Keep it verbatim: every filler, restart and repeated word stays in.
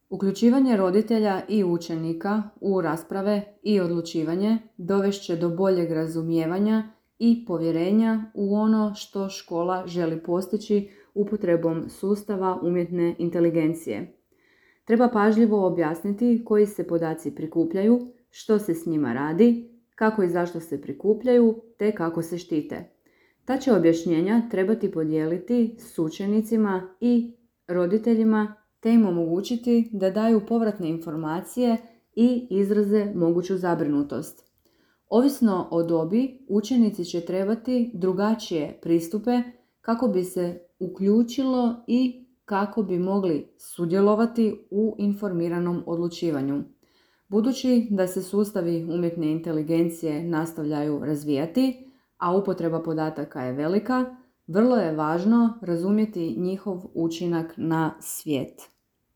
Uključivanje roditelja i učenika u rasprave i odlučivanje dovešće do boljeg razumijevanja i povjerenja u ono što škola želi postići upotrebom sustava umjetne inteligencije. Treba pažljivo objasniti koji se podaci prikupljaju, što se s njima radi, kako i zašto se prikupljaju, te kako se štite. Ta će objašnjenja trebati podijeliti s učenicima i roditeljima te im omogućiti da daju povratne informacije i izraze moguću zabrinutost. Ovisno o dobi, učenici će trebati drugačije pristupe kako bi se uključilo i kako bi mogli sudjelovati u informiranom odlučivanju. Budući da se sustavi umjetne inteligencije nastavljaju razvijati, a upotreba podataka je velika, vrlo je važno razumjeti njihov učinak na svijet.